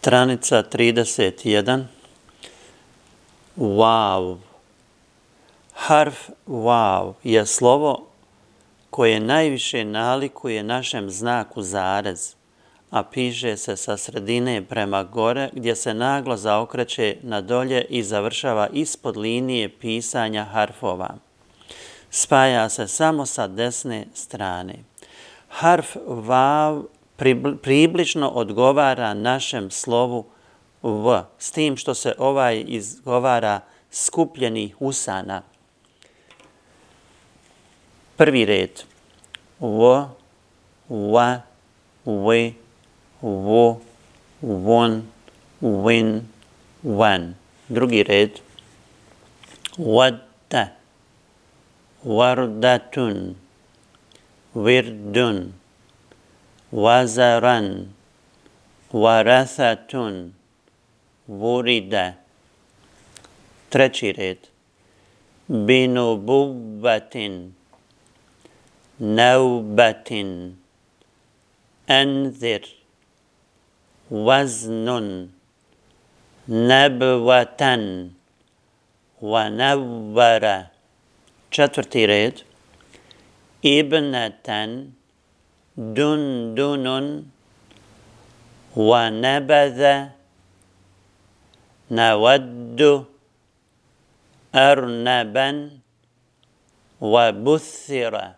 Stranica 31. Vav. Harf vav je slovo koje najviše nalikuje našem znaku zarez, a piše se sa sredine prema gore gdje se naglo zaokreće na dolje i završava ispod linije pisanja harfova. Spaja se samo sa desne strane. Harf vav približno odgovara našem slovu v, s tim što se ovaj izgovara skupljenih usana. Prvi red. V, va, vi, vo, von, win, van. Drugi red. Wadda, wardatun, virdun, wazaran, warathatun, vurida. Treći red. Binububatin, naubatin, anzir, waznun, nabvatan, wanavvara. Četvrti red. Ibnatan, dundunun, wanabadha, nawaddu, arnaban, wabuthira.